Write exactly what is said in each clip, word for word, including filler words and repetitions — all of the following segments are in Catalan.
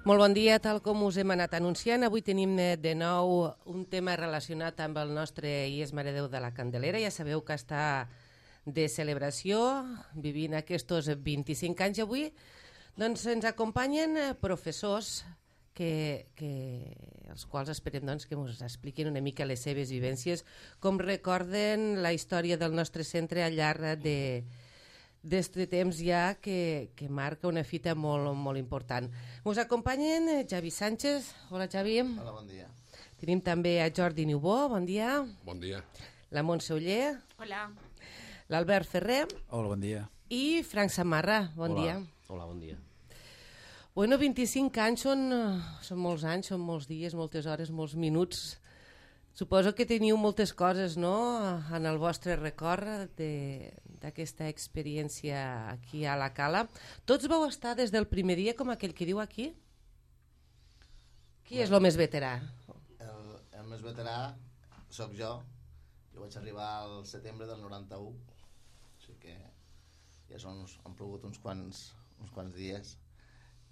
Molt bon dia, tal com us hem anat anunciant. Avui tenim de nou un tema relacionat amb el nostre I E S Mare Déu de la Candelera. Ja sabeu que està de celebració, vivint aquests vint-i-cinc anys avui. Doncs ens acompanyen professors que, que, els quals esperem doncs, que ens expliquin una mica les seves vivències, com recorden la història del nostre centre al llarg de d'aquest temps ja que, que marca una fita molt, molt important. Ens acompanyen Javi Sánchez. Hola, Javi. Hola, bon dia. Tenim també a Jordi Niubó. Bon dia. Bon dia. La Montse Oller. Hola. L'Albert Ferrer. Hola, bon dia. I Frank Samarra. Bon Hola. dia. Hola, bon dia. Bueno, vint-i-cinc anys són, són molts anys, són molts dies, moltes hores, molts minuts. Suposo que teniu moltes coses, no?, en el vostre record d'aquesta experiència aquí a la Cala. Tots vau estar des del primer dia, com aquell que diu aquí? Qui és el més veterà? El, el més veterà sóc jo. Jo vaig arribar al setembre del noranta-u, així que ja són, han plogut uns quants, uns quants dies.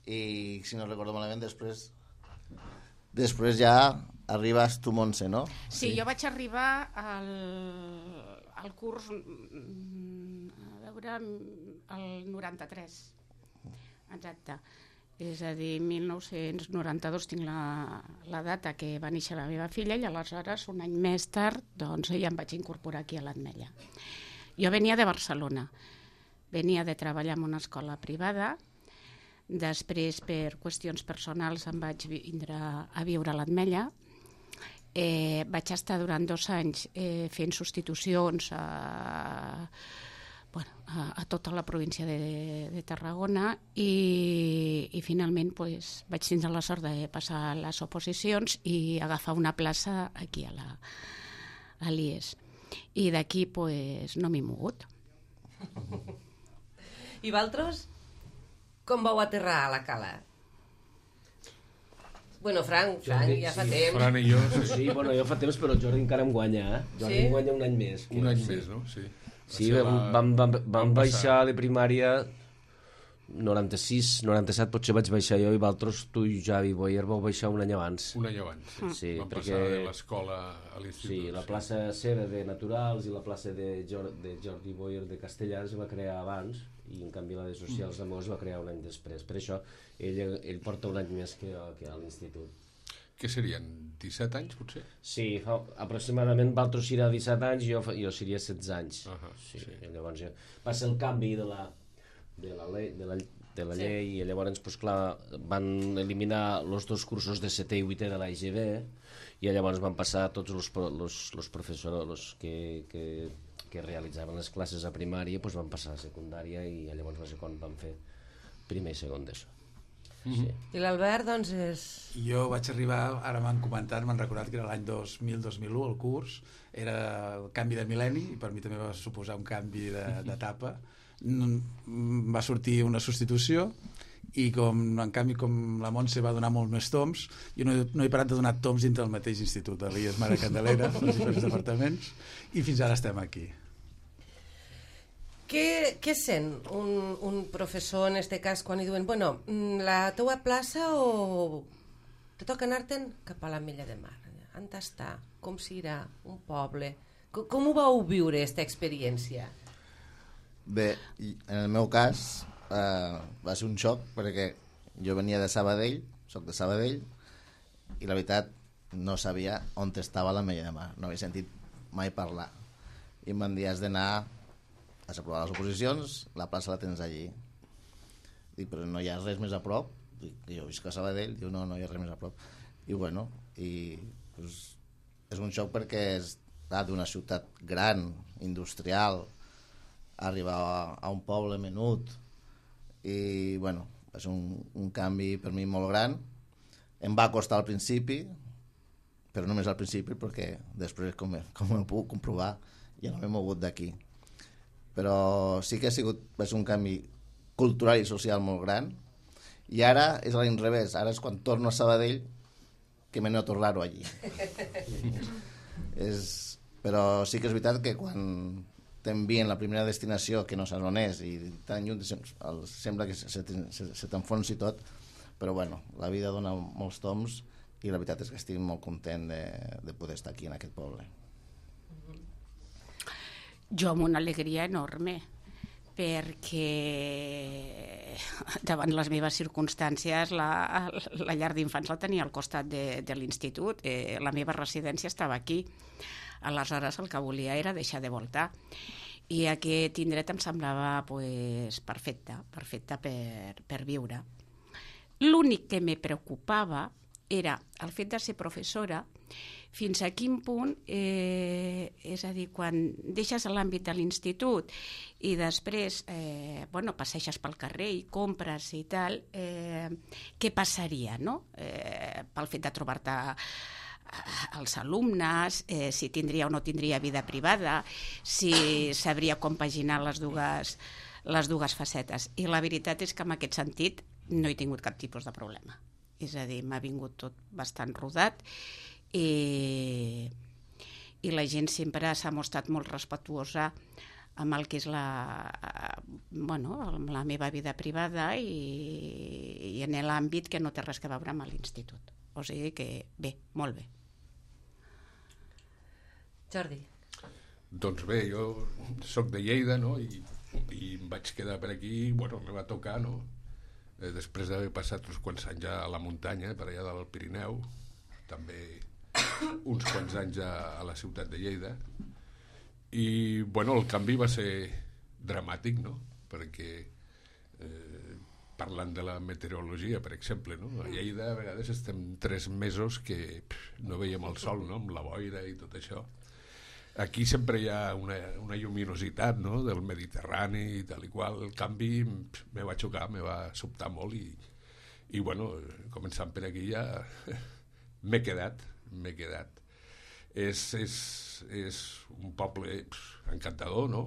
I si no recordo malament, després... Després ja arribes tu, Montse, no? Sí, sí, jo vaig arribar al, al curs, a veure, el noranta-tres, exacte. És a dir, mil nou-cents noranta-dos tinc la, la data que va néixer la meva filla i aleshores, un any més tard, doncs ja em vaig incorporar aquí a l'Ametlla. Jo venia de Barcelona, venia de treballar en una escola privada. Després, per qüestions personals, em vaig vindre a viure a l'Ametlla. Eh, vaig estar durant dos anys eh, fent substitucions a, bueno, a, a tota la província de, de Tarragona i, i finalment pues, vaig tindre la sort de passar les oposicions i agafar una plaça aquí a la, a l'I E S. I d'aquí pues, no m'he mogut. I vosaltres? Com vau aterrar a la Cala? Bueno, Frank, Frank Jordi, ja fa sí, temps. Fran i jo... Sí, bueno, jo fa temps, però el Jordi encara em guanya, eh? Jordi Sí? em guanya un any més. Un any sí. més, no? Sí, Sí, vam, vam, vam, vam baixar a la primària noranta-sis, noranta-set, potser vaig baixar jo i vosaltres, tu i Javi Boyer, vau baixar un any abans. Un any abans, sí. Sí, Vam perquè... passar de l'escola a l'institut. Sí, la plaça seva de Naturals i la plaça de, Jor de Jordi Boyer de Castellà es va crear abans i en canvi la de Socials de Mos va crear un any després. Per això ell, ell porta un any més que, que a l'institut. Què serien? disset anys, potser? Sí, fa, aproximadament Valtros serà disset anys i jo, jo seria setze anys. Uh -huh, sí, sí. I llavors ja va ser el canvi de la, de la, llei, de la, de la Sí. llei i llavors pues, clar, van eliminar els dos cursos de setè i vuitè de l'A I G B i llavors van passar tots els los, los professors los que, que, que realitzaven les classes a primària pues, van passar a secundària i llavors va ser quan van fer primer i segon d'ESO. Sí. I l'Albert, doncs, és... Jo vaig arribar, ara m'han comentat, m'han recordat que era l'any dos mil dos mil u el curs, era el canvi de mil·lenni i per mi també va suposar un canvi d'etapa. Va sortir una substitució i com, en canvi com la Montse va donar molts més toms, jo no, no he parat de donar toms dintre del mateix institut, de l'I E S Mare Candelera, els diferents departaments, i fins ara estem aquí. Què, què sent un, un professor, en aquest cas, quan li diuen bueno, la teua plaça o te toca anar-te'n cap a l'Ametlla de Mar? On està? Com serà? Un poble? Com, com ho vau viure, aquesta experiència? Bé, en el meu cas eh, va ser un xoc perquè jo venia de Sabadell, soc de Sabadell, i la veritat no sabia on estava l'Ametlla de Mar, no havia sentit mai parlar. I em van dir, has d'anar has aprovat les oposicions, la plaça la tens allí. Dic, però no hi ha res més a prop? Dic, jo visc a Sabadell, diu, no, no hi ha res més a prop. I bueno, i pues, és un xoc perquè és d'una ciutat gran, industrial, arribar a, a un poble menut, i bueno, és un, un canvi per mi molt gran. Em va costar al principi, però només al principi, perquè després, com, com ho puc comprovar, ja no m'he mogut d'aquí. Però sí que ha sigut va ser un canvi cultural i social molt gran, i ara és a l'inrevés, ara és quan torno a Sabadell que m'he anat a tornar-ho allí. és, però sí que és veritat que quan t'envien la primera destinació que no saps on és i tan lluny sembla que se, se, se t'enfonsi tot, però bueno, la vida dona molts toms i la veritat és que estic molt content de, de poder estar aquí en aquest poble. Jo amb una alegria enorme, perquè davant les meves circumstàncies la, la llar d'infants la tenia al costat de, de l'institut, eh, la meva residència estava aquí, aleshores el que volia era deixar de voltar i aquest indret em semblava pues, perfecte, perfecte per, per viure. L'únic que me preocupava era el fet de ser professora, fins a quin punt, eh, és a dir, quan deixes l'àmbit de l'institut i després eh, bueno, passeixes pel carrer i compres i tal, eh, què passaria, no? Eh, pel fet de trobar-te els alumnes, eh, si tindria o no tindria vida privada, si sabria compaginar les dues, les dues facetes. I la veritat és que en aquest sentit no he tingut cap tipus de problema. És a dir, m'ha vingut tot bastant rodat i, i la gent sempre s'ha mostrat molt respectuosa amb el que és la, bueno, amb la meva vida privada i, i en l'àmbit que no té res a veure amb l'institut. O sigui que bé, molt bé. Jordi. Doncs bé, jo soc de Lleida, no? I, i em vaig quedar per aquí, bueno, me va tocar, no? Eh, després d'haver passat uns quants anys a la muntanya, per allà del Pirineu, també uns quants anys a, a la ciutat de Lleida, i bueno, el canvi va ser dramàtic, no? Perquè eh, parlant de la meteorologia, per exemple, no? A Lleida a vegades estem tres mesos que pff, no veiem el sol, no? Amb la boira i tot això. Aquí sempre hi ha una, una lluminositat, no? Del Mediterrani i tal i qual. El canvi pff, me va xocar, me va sobtar molt i, i bueno, començant per aquí ja m'he quedat, m'he quedat. És, és, és un poble pff, encantador, no?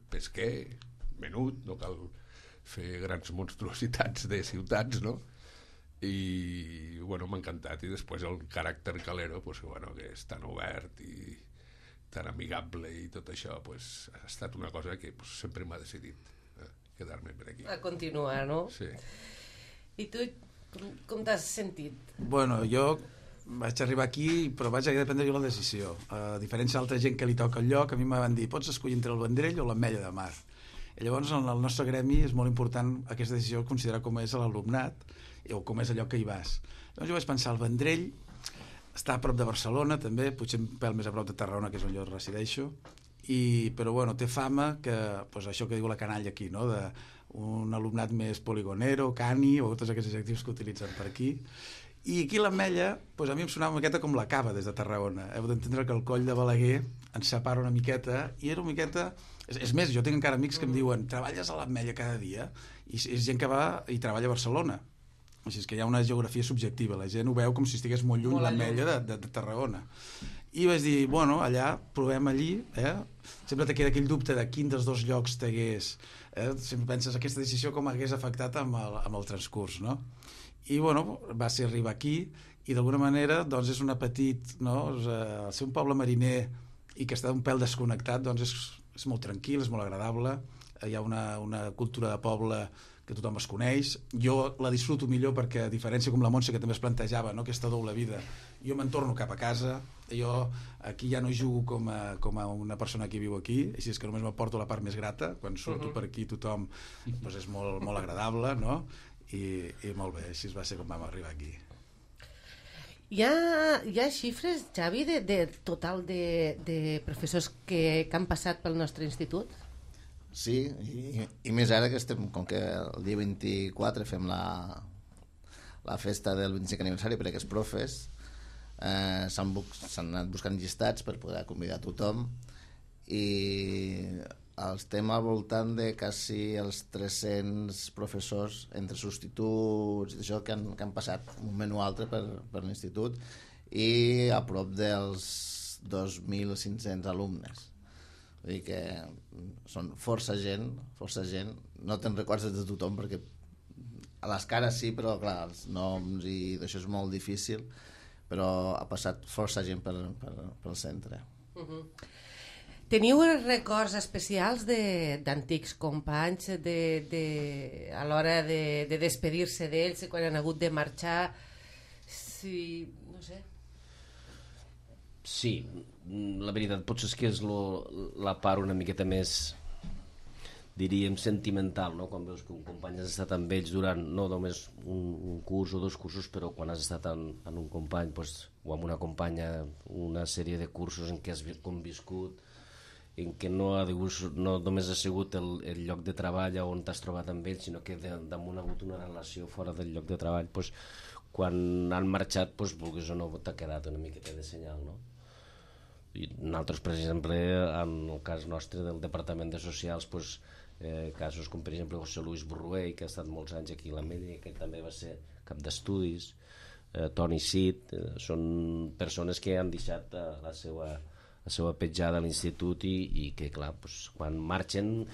Pesquer, menut, no cal fer grans monstruositats de ciutats, no? I bueno, m'ha encantat. I després el caràcter calero, pues, bueno, que és tan obert i tan amigable i tot això, pues, ha estat una cosa que pues, sempre m'ha decidit eh, quedar-me per aquí. A continuar, no? Sí. I tu, com, com t'has sentit? Bueno, jo vaig arribar aquí, però vaig haver de prendre jo la decisió. A diferència d'altra gent que li toca el lloc, a mi me van dir, pots escollir entre el Vendrell o l'Ametlla de Mar. I llavors, en el nostre gremi és molt important aquesta decisió, considerar com és l'alumnat o com és el lloc que hi vas. Llavors jo vaig pensar, el Vendrell està a prop de Barcelona, també, potser un pèl més a prop de Tarragona, que és on jo resideixo, i, però bueno, té fama que, pues, això que diu la canalla aquí, no? De un alumnat més poligonero, cani, o tots aquests adjectius que utilitzen per aquí. I aquí l'Ametlla, pues, a mi em sonava una miqueta com la Cava des de Tarragona. Heu d'entendre que el coll de Balaguer ens separa una miqueta, i era una miqueta... És, és més, jo tinc encara amics que em diuen treballes a l'Ametlla cada dia, i és gent que va i treballa a Barcelona. Així és que hi ha una geografia subjectiva, la gent ho veu com si estigués molt lluny l'Ametlla de, de, de Tarragona. I vaig dir, bueno, allà, provem allí, eh? Sempre te queda aquell dubte de quin dels dos llocs t'hagués... Eh? Sempre penses aquesta decisió com hagués afectat amb el, amb el transcurs, no? I, bueno, va ser arribar aquí, i d'alguna manera, doncs, és una petit... No? El ser un poble mariner i que està un pèl desconnectat, doncs, és, és molt tranquil, és molt agradable, hi ha una, una cultura de poble que tothom es coneix. Jo la disfruto millor perquè, a diferència com la Montse, que també es plantejava, no? Aquesta doble vida, jo me'n torno cap a casa, jo aquí ja no jugo com a, com a una persona que viu aquí, així és que només m'aporto la part més grata, quan surto uh -huh. per aquí tothom doncs és molt, molt agradable, no? I, i molt bé, així va ser com vam arribar aquí. Hi ha, hi ha xifres, Xavi, de, de total de, de professors que, que han passat pel nostre institut? Sí, i, i més ara que estem, com que el dia vint-i-quatre fem la, la festa del vint-i-cinquè aniversari per a aquests profes, eh, s'han anat buscant llistats per poder convidar a tothom, i estem al voltant de quasi els tres-cents professors entre substituts i això que han, que han passat un menú altre per, per l'institut, i a prop dels dos mil cinc-cents alumnes. Vull dir que són força gent, força gent. No te'n recordes de tothom perquè a les cares sí, però clar, els noms i d'això és molt difícil, però ha passat força gent per, per, pel centre. Uh-huh. Teniu records especials d'antics companys de, de, a l'hora de, de despedir-se d'ells, quan han hagut de marxar? Sí, no sé. Sí, la veritat potser és que és lo, la part una miqueta més, diríem, sentimental, no? Quan veus que un company has estat amb ells durant no només un, un curs o dos cursos, però quan has estat en, en un company pues, o amb una companya una sèrie de cursos en què has conviscut, en què no, ha dius, no només ha sigut el, el lloc de treball on t'has trobat amb ells, sinó que de, damunt ha hagut una relació fora del lloc de treball, pues, quan han marxat, pues, vulguis o no, t'ha quedat una miqueta de senyal, no? I nosaltres, per exemple, en el cas nostre del Departament de Socials, pues, eh, casos com per exemple José Luis Burruell, que ha estat molts anys aquí a l'Ametlla, que també va ser cap d'estudis, eh, Toni Cid, eh, són persones que han deixat eh, la seva la seva petjada a l'institut i, i que clar, pues, quan marxen,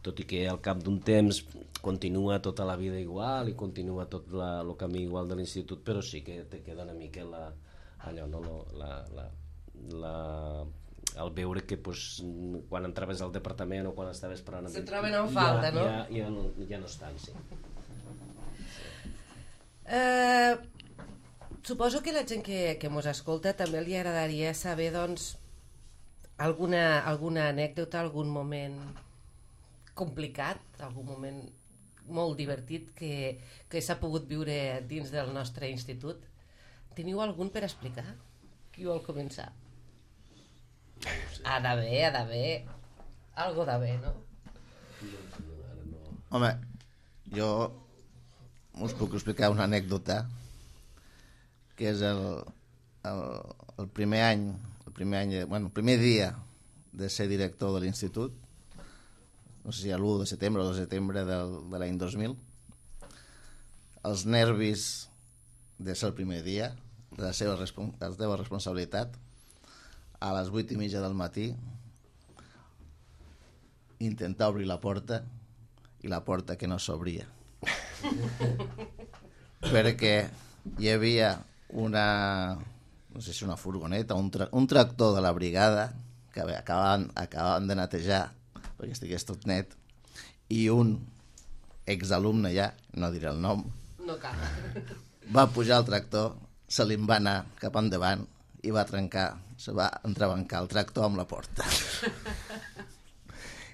tot i que al cap d'un temps continua tota la vida igual i continua tot la, el camí igual de l'institut, però sí que te queda una mica la, allò, no, la, la, la, el veure que pues, quan entraves al departament o quan estaves parlant se troben en falta, ja, no? Ja, ja, no, ja no estan, sí. Eh, suposo que la gent que, que mos escolta també li agradaria saber, doncs, alguna, alguna anècdota, algun moment complicat, algun moment molt divertit que, que s'ha pogut viure dins del nostre institut. Teniu algun per explicar? Qui vol començar? Ha d'haver, ha d'haver algo d'haver, no? Home, jo us puc explicar una anècdota que és el, el, el primer any el primer any, bueno, el primer dia de ser director de l'institut, no sé si a l'u de setembre o de setembre del, de l'any dos mil, els nervis de ser el primer dia, de la seva, respon la seva responsabilitat, a les vuit i mitja del matí, intentar obrir la porta i la porta que no s'obria. Perquè hi havia una, no sé si una furgoneta, un, tra un tractor de la brigada que acabaven, acabaven de netejar perquè estigués tot net, i un exalumne ja, no diré el nom, no cal, va pujar al tractor, se li va anar cap endavant i va trencar, se va entrebancar el tractor amb la porta.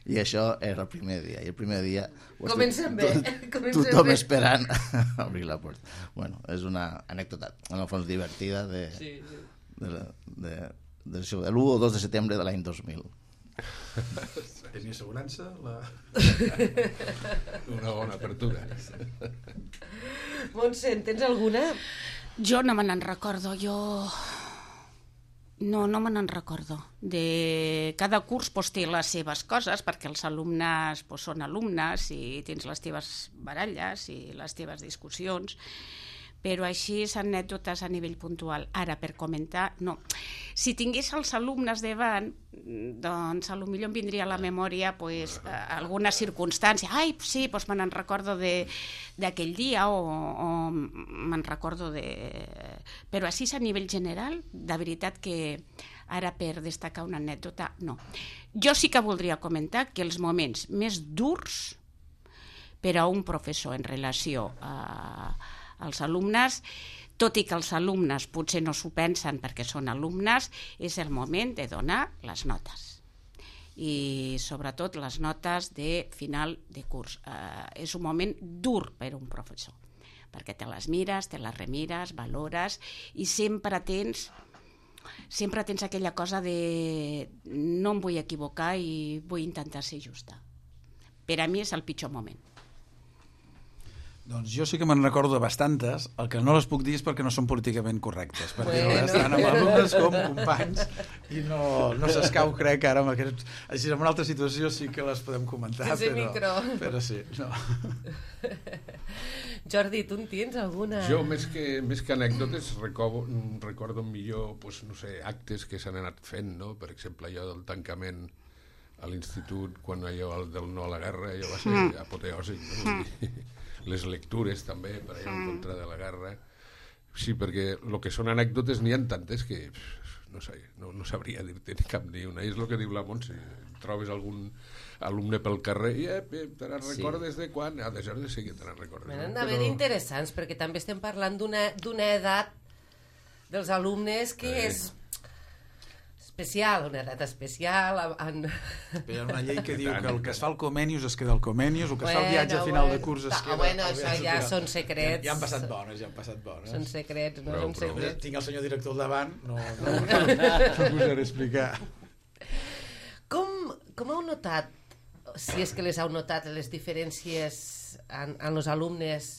I això era el primer dia. I el primer dia... Comencem bé. Comencem tothom bé. esperant obrir la porta. Bueno, és una anècdota, en el fons, divertida de, sí, sí. de, de, de, de l'u o dos de setembre de l'any dos mil. Tenia assegurança? La... Una bona apertura. Montse, en tens alguna? Jo no me n'en recordo, jo... No, no me n'en recordo. De cada curs pues, té les seves coses, perquè els alumnes pues, són alumnes i tens les teves baralles i les teves discussions, però així és anècdotes a nivell puntual. Ara, per comentar, no. Si tingués els alumnes davant, doncs potser em vindria a la memòria pues, alguna circumstància. Ai, sí, doncs me n'en recordo d'aquell dia o, o me'n recordo de... Però així a nivell general, de veritat que ara per destacar una anècdota, no. Jo sí que voldria comentar que els moments més durs per a un professor en relació a els alumnes, tot i que els alumnes potser no s'ho pensen perquè són alumnes, és el moment de donar les notes. I sobretot les notes de final de curs. Eh, és un moment dur per a un professor, perquè te les mires, te les remires, valores i sempre tens, sempre tens aquella cosa de no em vull equivocar i vull intentar ser justa. Per a mi és el pitjor moment. Doncs jo sí que me'n recordo de bastantes, el que no les puc dir és perquè no són políticament correctes, perquè bueno. no estan amb alumnes com companys i no, no s'escau, crec, ara amb aquest... Així, en una altra situació sí que les podem comentar, sense però, micro. però sí, no. Jordi, tu en tens alguna? Jo, més que, més que anècdotes, recordo, recordo millor, pues, no sé, actes que s'han anat fent, no? Per exemple, allò del tancament a l'institut, quan allò del no a la guerra, allò va ser mm. apoteòsic, no? Mm. Les lectures també per allà en contra de la guerra. Sí, perquè el que són anècdotes n'hi ha tantes que no sé, no, no sabria dir-te ni cap ni una. És el que diu la Montse, trobes algun alumne pel carrer i eh, te n'en recordes de quan? Ah, de de sí que te n'en recordes. Me n'han No? d'haver Però... interessants, perquè també estem parlant d'una edat dels alumnes que Eh. és especial, una edat especial. En... Hi ha una llei que diu que el que es fa al Comenius es queda al Comenius, el que es fa al viatge a Bueno, final bueno. de curs es Ah, queda... bueno, al això viatge ja final. són secrets. Ja, ja han passat bones, ja han passat bones. Són secrets, no Prou, són prou. secrets. Tinc el senyor director al davant, no, no, no, no posaré a explicar. Com, com heu notat, si és que les heu notat, les diferències en, en els alumnes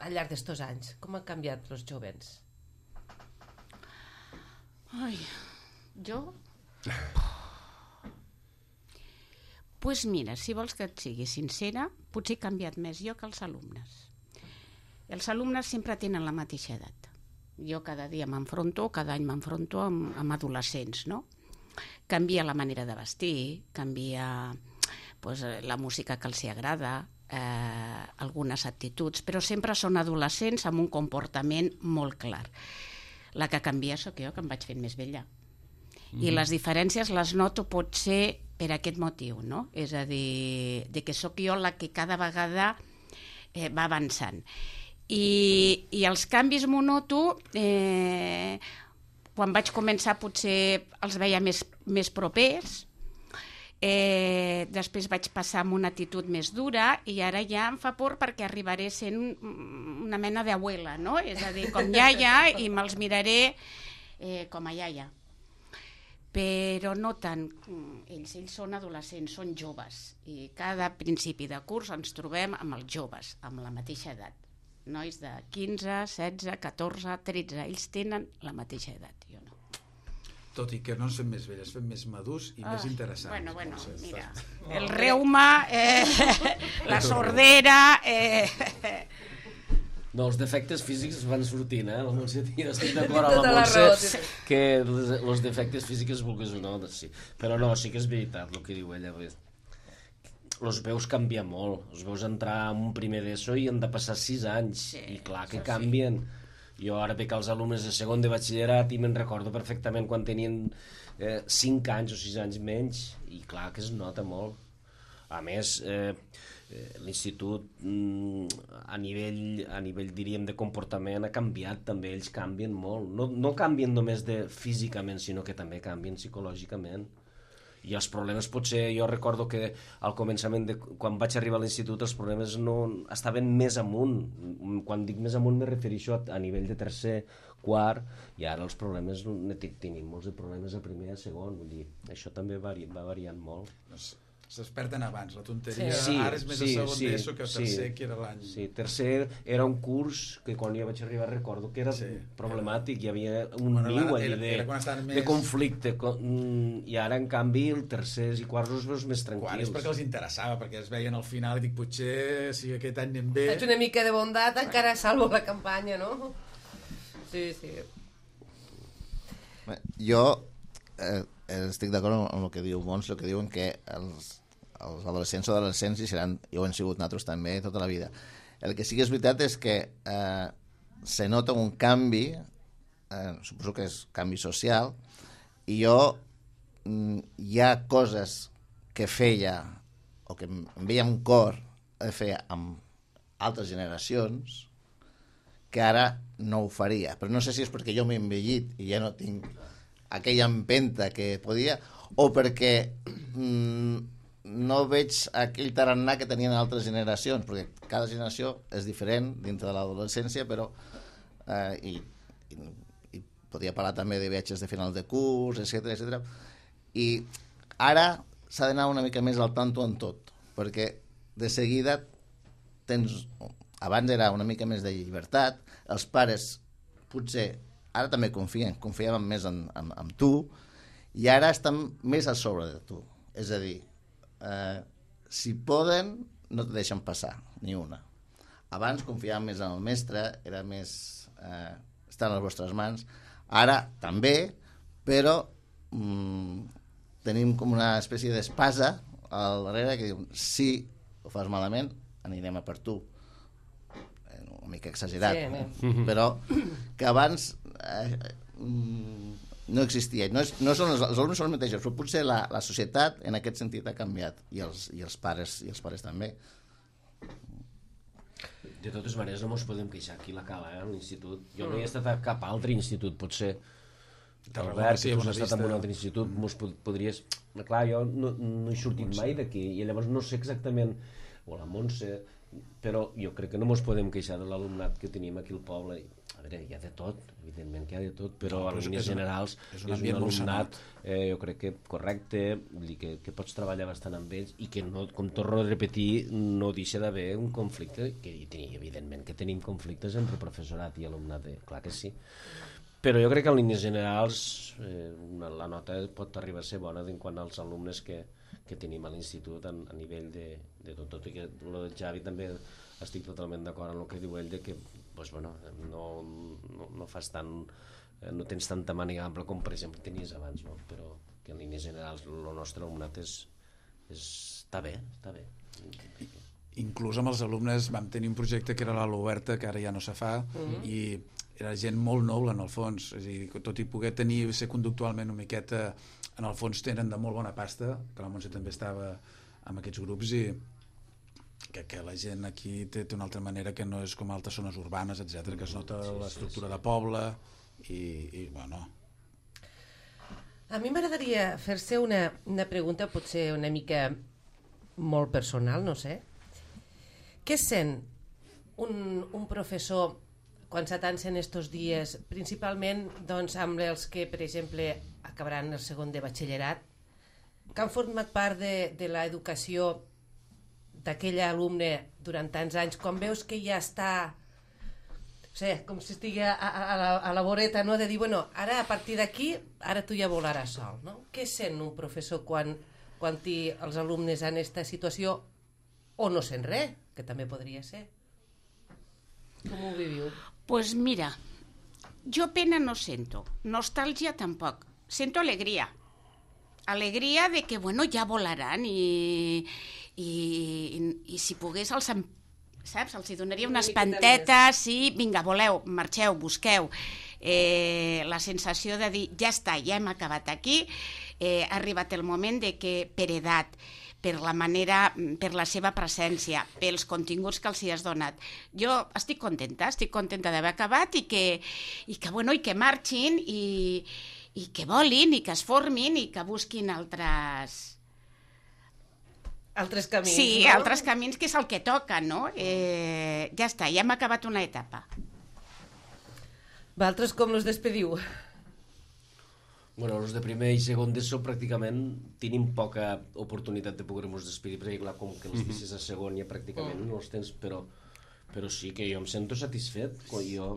al llarg d'estos anys? Com han canviat els jovens? Ai, jo... Pues mira, si vols que et sigui sincera, potser he canviat més jo que els alumnes. Els alumnes sempre tenen la mateixa edat. Jo cada dia m'enfronto, cada any m'enfronto amb, amb adolescents, no? Canvia la manera de vestir, canvia pues, la música que els hi agrada, eh, algunes actituds, però sempre són adolescents amb un comportament molt clar. La que canvia sóc jo, que em vaig fent més vella. Mm. I les diferències les noto potser per aquest motiu, no? És a dir, de que sóc jo la que cada vegada eh, va avançant. I, i els canvis m'ho noto, eh, quan vaig començar potser els veia més, més propers, eh, després vaig passar amb una actitud més dura i ara ja em fa por perquè arribaré sent una mena d'abuela, no? És a dir, com iaia, i me'ls miraré eh, com a iaia. Però no tant, ells, ells són adolescents, són joves, i cada principi de curs ens trobem amb els joves, amb la mateixa edat. Nois de quinze, setze, catorze, tretze, ells tenen la mateixa edat, jo no. Tot i que no ens fem més velles, fem més madurs i ah, més interessants. Bueno, bueno, no sé, mira, està... el reuma, eh, la sordera... Eh, No, els defectes físics van sortint, eh? La Montse, jo estic d'acord amb Tota la la raó, Montse sí. que els, els defectes físics vulguis o no, sí. Però no, sí que és veritat el que diu ella. Els veus canviar molt, els veus entrar en un primer d'ESO i han de passar sis anys, Sí, i clar que això sí. canvien. Jo ara veig els alumnes de segon de batxillerat i me'n recordo perfectament quan tenien eh, cinc anys o sis anys menys, i clar que es nota molt. A més, eh, l'institut a nivell, a nivell diríem de comportament ha canviat també, ells canvien molt, no, no canvien només de físicament, sinó que també canvien psicològicament, i els problemes potser, jo recordo que al començament de, quan vaig arribar a l'institut els problemes no estaven més amunt, quan dic més amunt me refereixo a, a nivell de tercer, quart, i ara els problemes tenim molts de problemes a primer i a segon, vull dir, això també vari, va variant molt. S'esperten abans, la tonteria Sí, ara és més sí, a segon sí, d'ESO que a sí, tercer, que era l'any. Sí, tercer era un curs que quan jo vaig arribar recordo que era Sí, problemàtic, hi havia un Bueno, niu era- allí de, era quan estaven de més- conflicte, co- mm, i ara en canvi el tercers i quarts els veus més Quan és tranquils. perquè els interessava, perquè es veien al final i dic, potser si aquest any anem bé... Faig una mica de bondat, encara salvo la campanya, no? Sí, sí. Bé, jo eh, estic d'acord amb, amb el que diu Mons, el que diuen que els, els adolescents o adolescents hi seran, i ho han sigut nosaltres també tota la vida. El que sí que és veritat és que eh, se nota un canvi, eh, suposo que és canvi social, i jo mm, hi ha coses que feia o que em veia amb cor de fer amb altres generacions que ara no ho faria, però no sé si és perquè jo m'he envellit i ja no tinc aquella empenta que podia, o perquè mm, no veig aquell tarannà que tenien altres generacions, perquè cada generació és diferent dintre de l'adolescència, però eh, i, i, i podria parlar també de viatges de final de curs, etcètera, etcètera. I ara s'ha d'anar una mica més al tanto en tot, perquè de seguida tens... Abans era una mica més de llibertat, els pares potser ara també confien, confiaven més en, en, en tu, i ara estan més a sobre de tu. És a dir, eh, si poden, no te deixen passar, ni una. Abans confiaven més en el mestre, era més... Eh, està a les vostres mans. Ara també, però mm, tenim com una espècie d'espasa al darrere que diu, si ho fas malament, anirem a per tu. Una mica exagerat, Sí, sí, però que abans eh, no existia. No, és, no són els, els alumnes són els mateixos, però potser la, la societat en aquest sentit ha canviat, i els, i els pares i els pares també. De totes maneres no ens podem queixar aquí la Cala, eh, a l'institut. Jo no he estat a cap altre institut, potser. Albert, sí, que tu has Bona estat en un Vista. altre institut, mos pod podries... Clar, jo no, no he sortit mai d'aquí, i llavors no sé exactament, o la Montse, però jo crec que no ens podem queixar de l'alumnat que tenim aquí al poble. A veure, hi ha de tot, evidentment que hi ha de tot, però No, en però és- línies és un- generals és és un un, ambient molt alumnat, eh, jo crec que correcte, vull dir que, que pots treballar bastant amb ells i que, no, com torno a repetir, no deixa d'haver un conflicte, que hi tenim, evidentment que tenim conflictes entre professorat i alumnat, eh, clar que sí. Però jo crec que en línies generals eh, una, la nota pot arribar a ser bona en quant als alumnes que, que tenim a l'institut a, a nivell de, de tot, tot i que el de Xavi també estic totalment d'acord amb el que diu ell de que pues, bueno, no, no, no fas tant, eh, no tens tanta màniga ampla com per exemple tenies abans, no? Però que en línies generals el nostre alumnat és, és, està bé, està bé. Inclús amb els alumnes vam tenir un projecte que era l'Ala Oberta, que ara ja no se fa, uh-huh. i era gent molt noble en el fons, és a dir, tot i poder tenir, ser conductualment una miqueta, en el fons tenen de molt bona pasta, que la Montse també estava amb aquests grups, i que, que la gent aquí té, té una altra manera que no és com altres zones urbanes, etcètera, que es nota Sí, sí, l'estructura sí. de poble, i, i bueno... A mi m'agradaria fer-se una, una pregunta potser una mica molt personal, no sé. Què sent un, un professor quan s'atancen estos dies, principalment doncs, amb els que, per exemple, acabaran el segon de batxillerat, que han format part de, de l'educació d'aquell alumne durant tants anys, quan veus que ja està, no sé, com si estigui a, a, a, la, a la voreta, no? De dir, bueno, ara a partir d'aquí, ara tu ja volaràs sol, no? Què sent un professor quan, quan té els alumnes en aquesta situació o no sent res, que també podria ser? Com ho viviu? Pues mira, yo pena no sento, nostalgia tampoc, sento alegria. Alegria de que, bueno, ja volaran i, i, i, i si pogués els, em- saps, els hi donaria Una unes miqueta pantetes, sí, vinga, voleu, marxeu, busqueu. Eh, la sensació de dir, ja està, ja hem acabat aquí, eh, ha arribat el moment de que per edat, per la manera, per la seva presència, pels continguts que els hi has donat. Jo estic contenta, estic contenta d'haver acabat i que, i que, bueno, i que marxin i, i que volin i que es formin i que busquin altres... Altres camins, Sí, no? altres camins, que és el que toca, no? Eh, ja està, ja hem acabat una etapa. Vosaltres com los despediu? Bueno, els de primer i segon d'ESO pràcticament tenim poca oportunitat de poder-nos despedir, perquè clar, com que els vicis a segon ja pràcticament no els tens, però, però sí que jo em sento satisfet. Jo,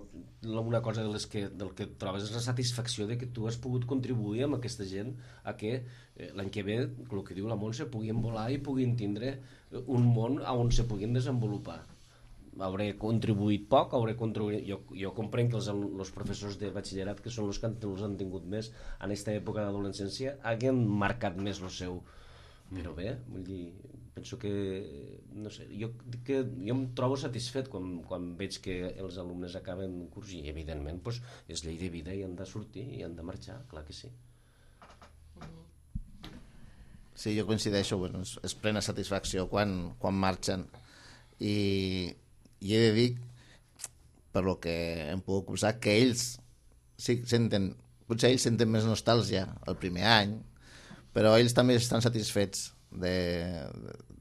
una cosa de les que, del que trobes és la satisfacció de que tu has pogut contribuir amb aquesta gent a que eh, l'any que ve, el que diu la Montse, puguin volar i puguin tindre un món on se puguin desenvolupar. Hauré contribuït poc, hauré contribuït... Jo, jo comprenc que els, els professors de batxillerat, que són els que han, els han tingut més en aquesta època d'adolescència, hagin marcat més el seu... Però bé, vull dir, penso que... No sé, jo, que, jo em trobo satisfet quan, quan veig que els alumnes acaben un curs i, evidentment, doncs, és llei de vida i han de sortir i han de marxar, clar que sí. Sí, jo coincideixo, bueno, és, és plena satisfacció quan, quan marxen. I, i he de dir, per lo que hem pogut conversar, que ells sí senten, potser ells senten més nostàlgia el primer any, però ells també estan satisfets de-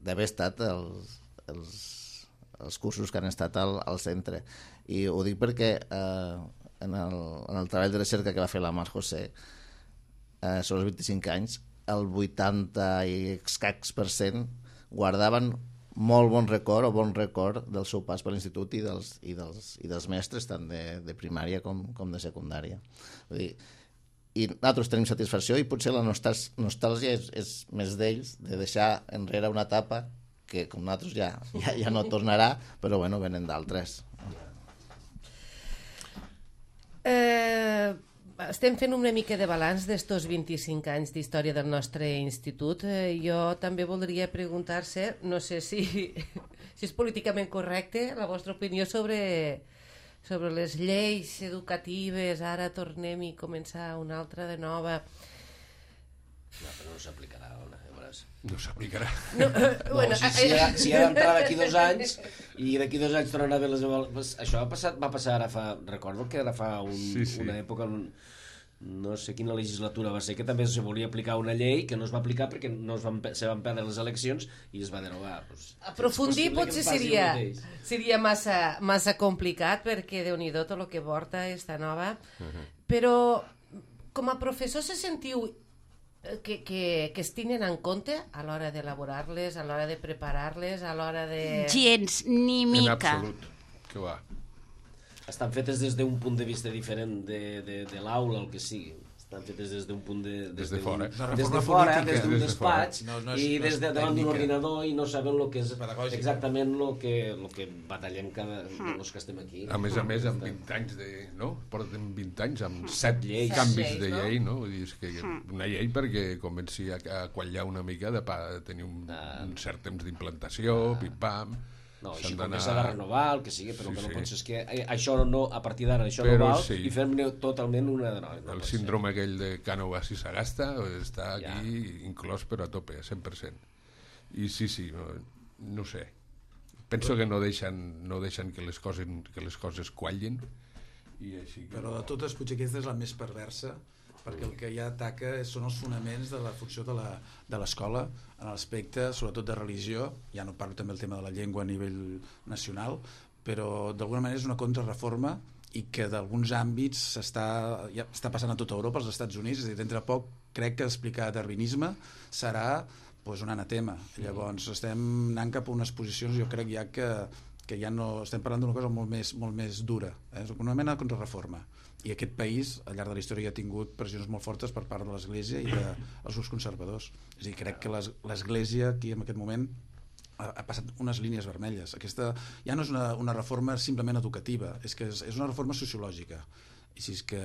d'haver estat els, els, els cursos que han estat al, al centre. I ho dic perquè eh, en, el, en el treball de recerca que va fer la Mar José eh, sobre els vint-i-cinc anys, el vuitanta i escacs per cent guardaven molt bon record o bon record del seu pas per l'institut i dels, i dels, i dels mestres tant de, de primària com, com de secundària. Vull dir, i nosaltres tenim satisfacció i potser la nostàs, nostàlgia és, és més d'ells, de deixar enrere una etapa que com nosaltres ja, ja, ja no tornarà, però bueno, venen d'altres. Eh, estem fent una mica de balanç d'estos vint-i-cinc anys d'història del nostre institut. Eh, jo també voldria preguntar-se, no sé si, si és políticament correcte, la vostra opinió sobre, sobre les lleis educatives, ara tornem i començar una altra de nova. No, però no s'aplicarà, Ona, ja veuràs. No s'aplicarà. No, eh, No, bueno, si, si, ha, si ha d'entrar d'aquí dos anys i d'aquí dos anys tornarà a haver les avaluacions... Això va passar, va passar ara fa... Recordo que ara fa un, Sí, sí. una època, un, no sé quina legislatura va ser, que també se volia aplicar una llei que no es va aplicar perquè no es van, se van perdre les eleccions i es va derogar. Pues, aprofundir és possible potser que em passi seria, el mateix. seria massa, massa complicat perquè Déu-n'hi-do tot el que porta esta nova, però com a professor se sentiu que, que, que es tenen en compte a l'hora d'elaborar-les, a l'hora de preparar-les, a l'hora de... Gens, ni En mica. absolut. Que va. Estan fetes des d'un punt de vista diferent de, de, de l'aula, el que sigui. Estan fetes des d'un punt de... Des de d'un- fora. Una Des de reforma fora, política. des d'un Des de fora. despatx, No, no és- i no és des de davant d'un tècnica. ordinador i no saben el que és Pedagògica. exactament el que, el que batallem cada, els que estem aquí. A més a més, amb vint anys de... No? Portem vint anys amb set Lleis. canvis Set de lleis, no? llei, no? Vull dir, és que una llei perquè comenci a, a quallar una mica de pa, tenir un, Ah. un cert temps d'implantació, pim-pam... No, s'han així com d'anar- que s'ha de renovar, el que sigui, però Sí, el que no sí. pot ser és que eh, això no, a partir d'ara això Però no val sí. i fem-ne totalment una de nova. No El pot síndrome aquell de Cànovas i Sagasta està Ja. aquí inclòs però a tope, a cent per cent. I sí, sí, no, no sé. Penso que no deixen, no deixen que, les coses, que les coses quallin i així que... Però de totes, potser aquesta és la més perversa, perquè el que ja ataca són els fonaments de la funció de la- de l'escola en l'aspecte, sobretot de religió. Ja no parlo també del tema de la llengua a nivell nacional, però d'alguna manera és una contrarreforma i que d'alguns àmbits s'està ja està passant a tota Europa, als Estats Units, és a dir, d'entre poc crec que explicar darwinisme serà doncs, un anatema. Llavors estem anant cap a unes posicions, jo crec ja que, que ja no estem parlant d'una cosa molt més, molt més dura, eh? És una mena de contrarreforma. I aquest país, al llarg de la història, ha tingut pressions molt fortes per part de l'Església i dels grups conservadors. És a dir, crec que l'es- l'Església aquí en aquest moment ha, ha passat unes línies vermelles. Aquesta ja no és una, una reforma simplement educativa, és que és, és una reforma sociològica. I si és que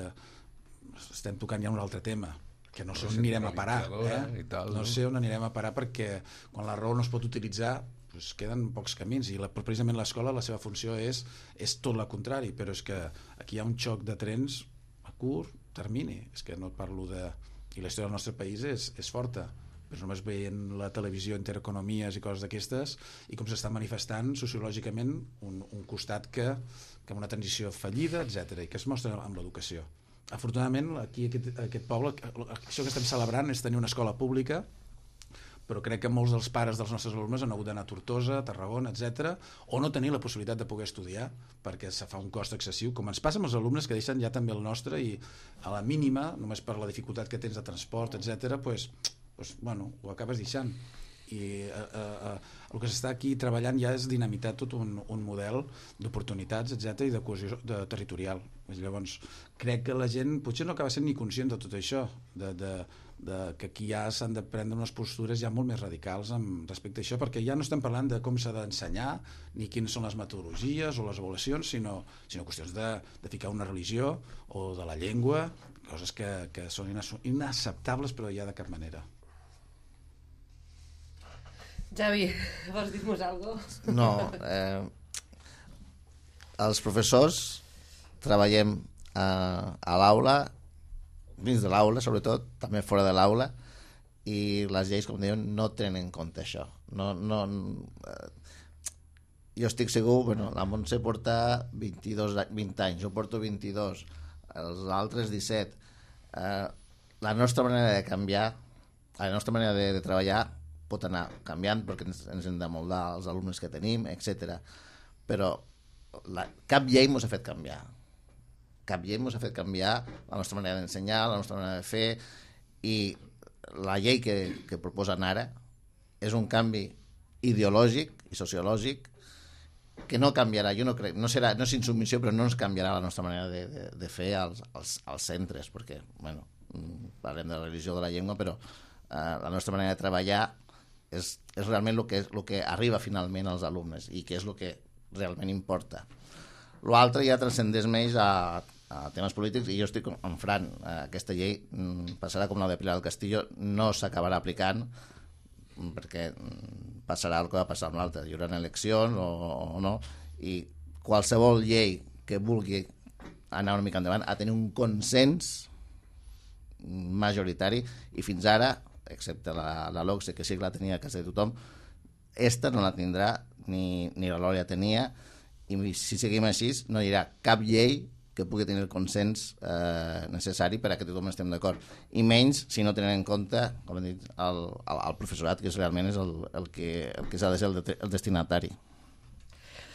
estem tocant ja un altre tema, que no sé on anirem a parar. Eh? I tal, no no? sé on anirem a parar perquè quan la raó no es pot utilitzar doncs queden pocs camins i la, precisament l'escola la seva funció és, és tot el contrari, però és que aquí hi ha un xoc de trens a curt termini, és que no et parlo de... i la història del nostre país és, és forta, però només veient la televisió, intereconomies i coses d'aquestes i com s'està manifestant sociològicament un, un costat que, que amb una transició fallida, etcètera, i que es mostra amb l'educació. Afortunadament aquí aquest, aquest poble, això que estem celebrant és tenir una escola pública, però crec que molts dels pares dels nostres alumnes han hagut d'anar a Tortosa, a Tarragona, etcètera, o no tenir la possibilitat de poder estudiar perquè se fa un cost excessiu, com ens passa amb els alumnes que deixen ja també el nostre i a la mínima, només per la dificultat que tens de transport, etcètera, pues, pues, bueno, ho acabes deixant. I eh, eh, el que s'està aquí treballant ja és dinamitar tot un, un model d'oportunitats, etcètera, i de cohesió de, territorial. Llavors, crec que la gent potser no acaba sent ni conscient de tot això, de, de, de que aquí ja s'han de prendre unes postures ja molt més radicals amb respecte a això, perquè ja no estem parlant de com s'ha d'ensenyar ni quines són les metodologies o les avaluacions, sinó, sinó qüestions de, de ficar una religió o de la llengua, coses que, que són inacceptables però ja de cap manera. Javi, vols dir-nos alguna cosa? No, eh, els professors treballem a, a l'aula, dins de l'aula sobretot, també fora de l'aula, i les lleis, com diuen, no tenen en compte això. No, no, eh, jo estic segur, bueno, la Montse porta vint-i-dos, vint anys, jo porto vint-i-dos, els altres disset. Eh, la nostra manera de canviar, la nostra manera de, de treballar pot anar canviant perquè ens, ens hem de moldar els alumnes que tenim, etcètera. Però la, cap llei ens ha fet canviar. Cap llei ens ha fet canviar la nostra manera d'ensenyar, la nostra manera de fer, i la llei que, que proposen ara és un canvi ideològic i sociològic que no canviarà, jo no crec, no serà, no és insubmissió, però no ens canviarà la nostra manera de, de, de fer als, als, als centres, perquè, bueno, parlem de la religió, de la llengua, però eh, la nostra manera de treballar és, és realment el que, el que arriba finalment als alumnes i que és el que realment importa. L'altre ja transcendeix més a, a temes polítics i jo estic amb Fran. Aquesta llei passarà com la de Pilar del Castillo, no s'acabarà aplicant perquè passarà el que va passar amb l'altre. Hi haurà eleccions o, o no, i qualsevol llei que vulgui anar una mica endavant, a tenir un consens majoritari, i fins ara, excepte la, la LOCSE, que sí que la tenia a casa de tothom, esta no la tindrà, ni, ni la Lòria tenia, i si seguim així no hi haurà cap llei que pugui tenir el consens eh, necessari per a que tothom estem d'acord, i menys si no tenen en compte, com hem dit, el, el, el professorat, que és realment és el, el que, el que s'ha de ser el, de, el destinatari.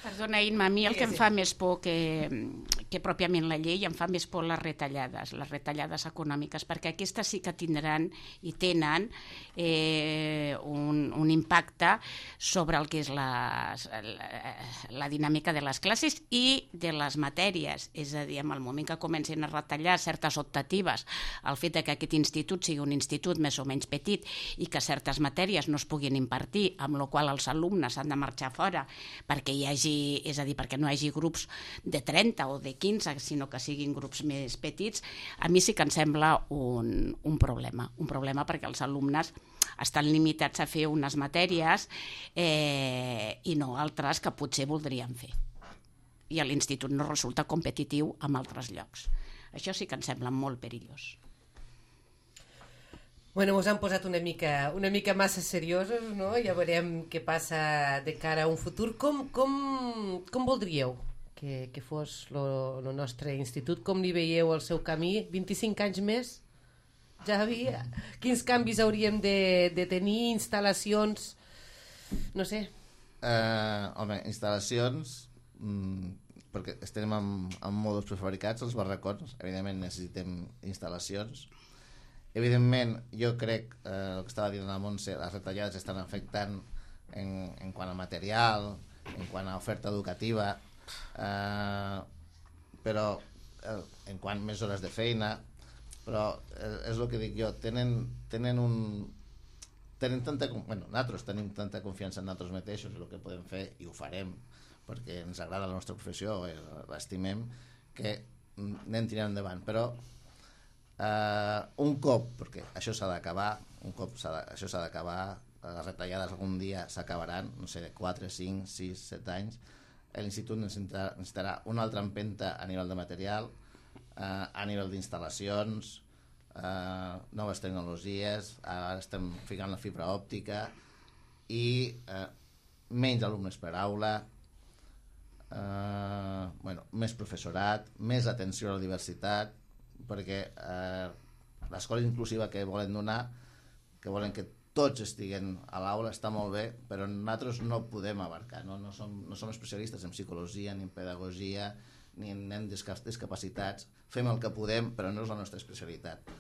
Perdona, Imma, a mi el que em fa més por que, que pròpiament la llei, em fa més por les retallades, les retallades econòmiques, perquè aquestes sí que tindran i tenen eh, un, un impacte sobre el que és la, la, la dinàmica de les classes i de les matèries. És a dir, en el moment que comencin a retallar certes optatives, el fet que aquest institut sigui un institut més o menys petit i que certes matèries no es puguin impartir, amb la qual els alumnes han de marxar fora perquè hi hagi, és a dir, perquè no hi hagi grups de trenta o de quinze, sinó que siguin grups més petits, a mi sí que em sembla un, un problema. Un problema perquè els alumnes estan limitats a fer unes matèries eh, i no altres que potser voldrien fer. I a l'institut no resulta competitiu amb altres llocs. Això sí que em sembla molt perillós. Bueno, ens han posat una mica, una mica massa seriosos, no? Ja veurem què passa de cara a un futur. Com, com, com voldríeu que, que fos el nostre institut? Com li veieu el seu camí? vint-i-cinc anys més? Javi, quins canvis hauríem de, de tenir? Instal·lacions? No sé. Uh, home, instal·lacions... Mm, perquè estem amb, amb mòduls prefabricats, els barracons, evidentment necessitem instal·lacions. Evidentment, jo crec, eh, el que estava dient la Montse, les retallades estan afectant en, en quant a material, en quant a oferta educativa, eh, però eh, en quant a més hores de feina, però eh, és el que dic jo, tenen, tenen un... Tenen tanta, bueno, nosaltres tenim tanta confiança en nosaltres mateixos, el que podem fer, i ho farem, perquè ens agrada la nostra professió, l'estimem, que anem tirant endavant, però Uh, un cop, perquè això s'ha d'acabar, un cop s'ha de, això s'ha d'acabar, les retallades algun dia s'acabaran, no sé, de quatre, cinc, sis, set anys, l'institut necessitarà, necessitarà una altra empenta a nivell de material, uh, a nivell d'instal·lacions, uh, noves tecnologies, ara estem ficant la fibra òptica, i uh, menys alumnes per aula, uh, bueno, més professorat, més atenció a la diversitat, perquè eh, l'escola inclusiva que volen donar, que volen que tots estiguen a l'aula, està molt bé, però nosaltres no podem abarcar, no, no, som, no som especialistes en psicologia, ni en pedagogia, ni en nen discapacitats, fem el que podem, però no és la nostra especialitat.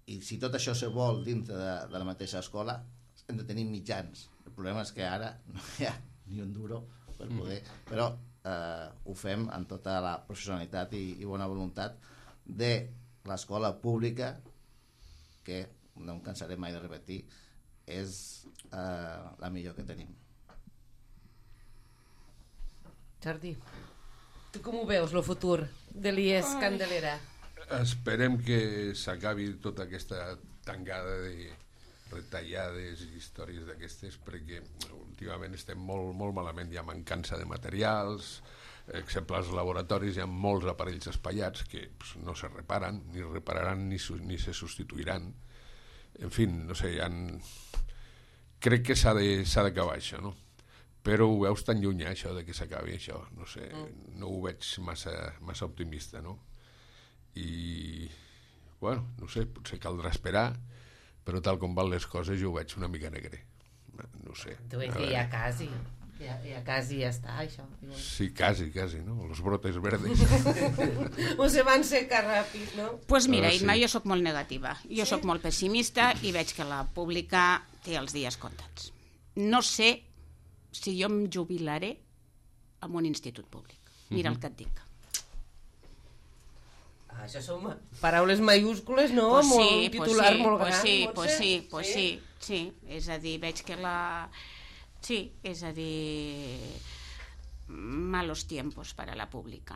I si tot això se vol dintre de, de la mateixa escola, hem de tenir mitjans. El problema és que ara no hi ha ni un duro per poder, però eh, ho fem amb tota la professionalitat i, i bona voluntat de l'escola pública, que no em cansaré mai de repetir, és eh, la millor que tenim. Jordi, tu com ho veus, el futur de l'I E S Candelera? Esperem que s'acabi tota aquesta tangada de retallades i històries d'aquestes, perquè últimament estem molt, molt malament, hi ha mancança de materials. Exemple, als laboratoris hi ha molts aparells espaiats que pues, no se reparen, ni repararan ni, ni se substituiran. En fi, no sé, ha... crec que s'ha d'acabar això, no? Però ho veus tan lluny, això, de que s'acabi això. No sé, mm. no ho veig massa, massa optimista, no? I, bueno, no sé, potser caldrà esperar, però tal com van les coses jo ho veig una mica negre. No sé. Tu veus que ja quasi... Ja, ja quasi ja està, això. Sí, quasi, quasi, no? Los brotes verdes. O se van secar ràpid, no? Doncs pues mira, Imma, sí. Jo sóc molt negativa. Jo sí? sóc molt pessimista i veig que la pública té els dies comptats. No sé si jo em jubilaré en un institut públic. Mira mm-hmm. el que et dic. Ah, això són paraules mayúscules, no? Pues sí, molt, un titular pues sí, molt pues gran. Sí, pues sí, pues sí, sí, sí. És a dir, veig que la... Sí, és a dir, malos tiempos para la pública.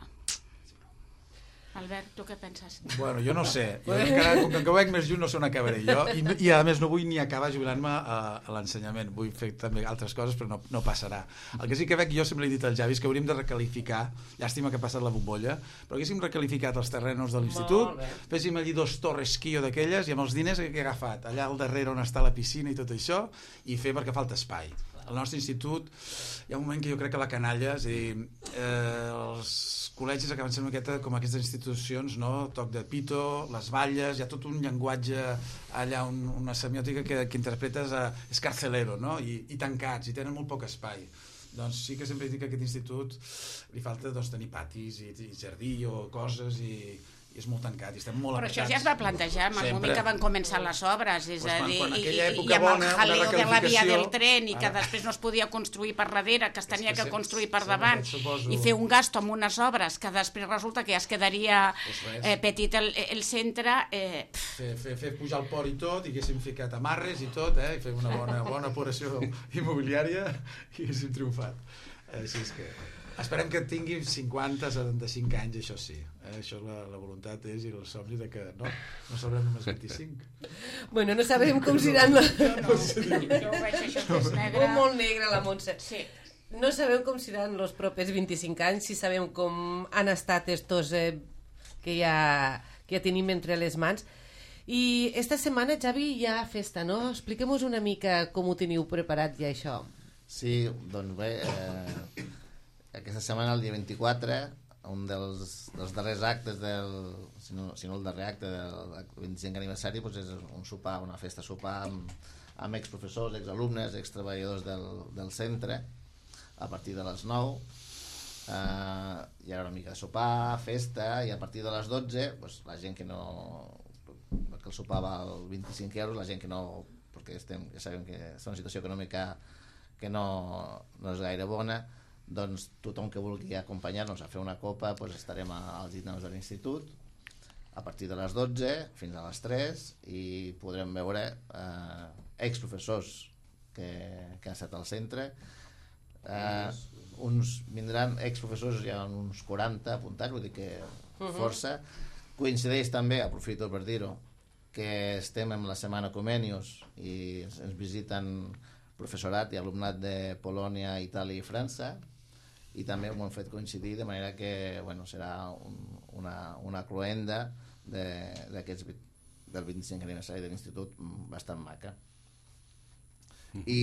Albert, tu què penses? Bueno, jo no sé. Jo encara, com que ho veig més lluny, no sé on acabaré jo. I, i a més no vull ni acabar jubilant-me a, a l'ensenyament. Vull fer també altres coses, però no, no passarà. El que sí que veig, jo sempre he dit als Javis que hauríem de recalificar, llàstima que ha passat la bombolla, però haguéssim recalificat els terrenos de l'institut, féssim allí dos torres quio d'aquelles i amb els diners que he agafat, allà al darrere on està la piscina i tot això, i fer perquè falta espai. Al nostre institut hi ha un moment que jo crec que la canalla, és a dir, eh, els col·legis acaben sent una miqueta com aquestes institucions, no? Toc de pito, les valles, hi ha tot un llenguatge allà, un, una semiòtica que, que interpretes a, és carcelero, no? I, i tancats, i tenen molt poc espai. Doncs sí que sempre dic que a aquest institut li falta doncs, tenir patis i, i jardí o coses i, i és molt tancat i estem molt però apretats. això ja es va plantejar en el Sempre. moment que van començar les obres, és Pues a quan- dir, quan i, aquella i, època i amb bona, el una jaleo de la via recalificació, del tren i que ara. després no es podia construir per darrere, que es tenia que que se- construir per sempre davant, suposo- i fer un gasto amb unes obres que després resulta que ja es quedaria Pues res. eh, petit el, el centre, eh, fer, fer, fer pujar el port i tot, i haguéssim ficat amarres i tot, eh? I fer una bona, bona operació immobiliària i haguéssim triomfat. Així és que esperem que tingui cinquanta, setanta-cinc anys, això sí. Eh? Això la, la voluntat és i el somni de que no, no sabrem només vint-i-cinc. Bueno, no sabem com seran... no, no, jo ho veig això que és negre. Oh, molt negra la Montse. Sí. No sabem com seran els propers vint-i-cinc anys, si sabem com han estat estos eh, que, ja, que ja tenim entre les mans. I esta setmana, Javi, hi ha festa, no? Expliquem-nos una mica com ho teniu preparat ja, això. Sí, doncs bé, eh, aquesta setmana, el dia vint-i-quatre, un dels, dels darrers actes del, si no, si no el darrer acte del vint-i-cinquè aniversari, doncs és un sopar, una festa sopar amb, amb exprofessors, exalumnes, extreballadors del, del centre, a partir de les nou. Eh, hi ha una mica de sopar, festa, i a partir de les dotze, doncs, la gent que no... perquè el sopar val vint-i-cinc euros, la gent que no... perquè estem, ja sabem que és una situació econòmica que no, no és gaire bona, doncs tothom que vulgui acompanyar-nos a fer una copa, doncs estarem a, als gitanos de l'institut a partir de les dotze fins a les tres i podrem veure eh, exprofessors que, que han estat al centre. Eh, uns vindran exprofessors, hi ha uns quaranta apuntats, vull dir que força. Coincideix també, aprofito per dir-ho, que estem en la setmana Comenius i ens, ens visiten professorat i alumnat de Polònia, Itàlia i França, i també ho hem fet coincidir de manera que bueno, serà un, una, una cloenda de, del vint-i-cinquè aniversari de l'institut bastant maca. I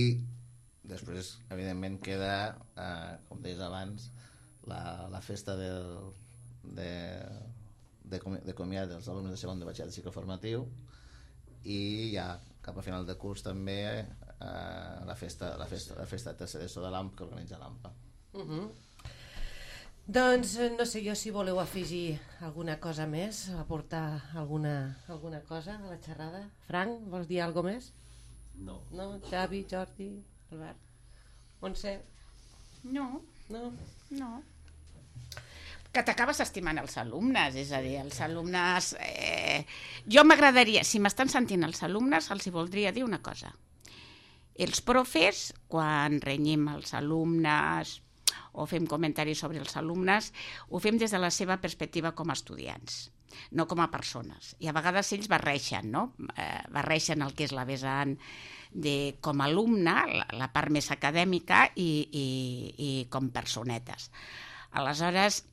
després, evidentment, queda, eh, com deies abans, la, la festa del, de, de, de comiat dels alumnes de segon de batxillerat de cicle formatiu, i ja cap a final de curs també eh, la festa la festa, la festa de tercer d'ESO de l'A M P que organitza l'A M P A. Uh -huh. Doncs no sé jo si voleu afegir alguna cosa més, aportar alguna, alguna cosa a la xerrada. Frank, vols dir alguna més? No. No? Xavi, Jordi, Albert? Montse? No, No? no. Que t'acabes estimant els alumnes, és a dir, els alumnes... Eh, jo m'agradaria, si m'estan sentint els alumnes, els hi voldria dir una cosa. Els profes, quan renyim els alumnes o fem comentaris sobre els alumnes, ho fem des de la seva perspectiva com a estudiants, no com a persones. I a vegades ells barreixen, no? Eh, barreixen el que és la vessant de, com a alumne, la, la part més acadèmica, i, i, i com personetes. Aleshores,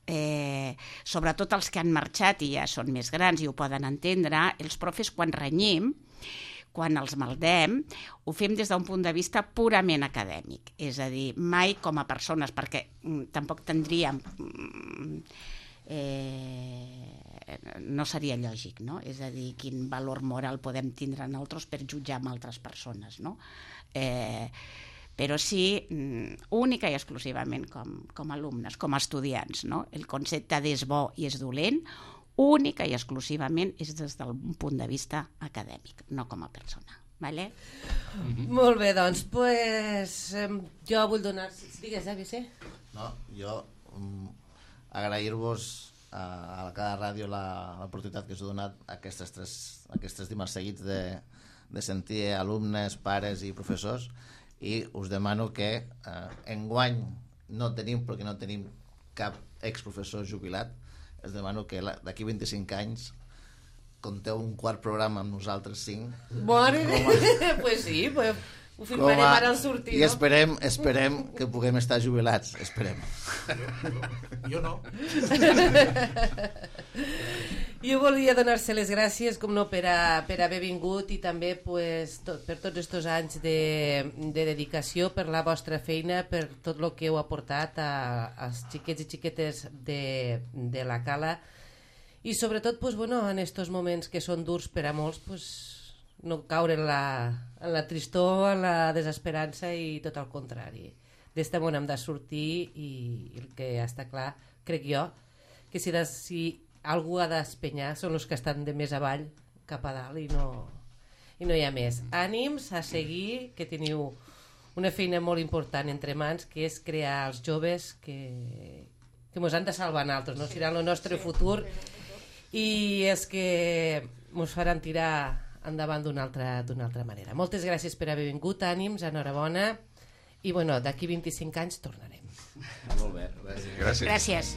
eh, sobretot els que han marxat i ja són més grans i ho poden entendre, els profes quan renyim, quan els maldem, ho fem des d'un punt de vista purament acadèmic, és a dir, mai com a persones, perquè mm, tampoc tindríem... Mm, eh, no seria lògic, no? És a dir, quin valor moral podem tindre nosaltres per jutjar amb altres persones, no? Eh, però sí, única i exclusivament com, com a alumnes, com a estudiants, no? El concepte d'és bo i és dolent, única i exclusivament és des del punt de vista acadèmic, no com a persona. Vale? Mm-hmm. Molt bé, doncs, pues, eh, jo vull donar... Digues, eh, Vicent? No, jo um, agrair-vos a, a cada ràdio l'oportunitat que us heu donat aquestes tres, aquests tres dimarts seguits de, de sentir alumnes, pares i professors, i us demano que eh, enguany no tenim, perquè no tenim cap exprofessor jubilat, es demano que la- d'aquí vint-i-cinc anys conteu un quart programa amb nosaltres cinc. Bueno, pues sí, pues ho firmarem a- ara al sortir, I no? esperem, esperem que puguem estar jubilats, esperem. Jo no. Jo volia donar-se les gràcies, com no, per, a, per haver vingut i també pues, tot, per tots aquests anys de, de dedicació, per la vostra feina, per tot el que heu aportat a, als xiquets i xiquetes de, de la Cala i sobretot pues, bueno, en aquests moments que són durs per a molts, pues, no caure en la, en la tristor, en la desesperança i tot el contrari. D'este món hem de sortir i, i el que està clar, crec jo, que si, de, si algú ha d'espenyar són els que estan de més avall cap a dalt i no, i no hi ha més. Ànims a seguir, que teniu una feina molt important entre mans, que és crear els joves que, que mos han de salvar a altres, no? Seran el nostre futur i és que mos faran tirar endavant d'una altra, d'una altra manera. Moltes gràcies per haver vingut, ànims, enhorabona i bueno, d'aquí vint-i-cinc anys tornarem. Molt bé. Gràcies. Gràcies.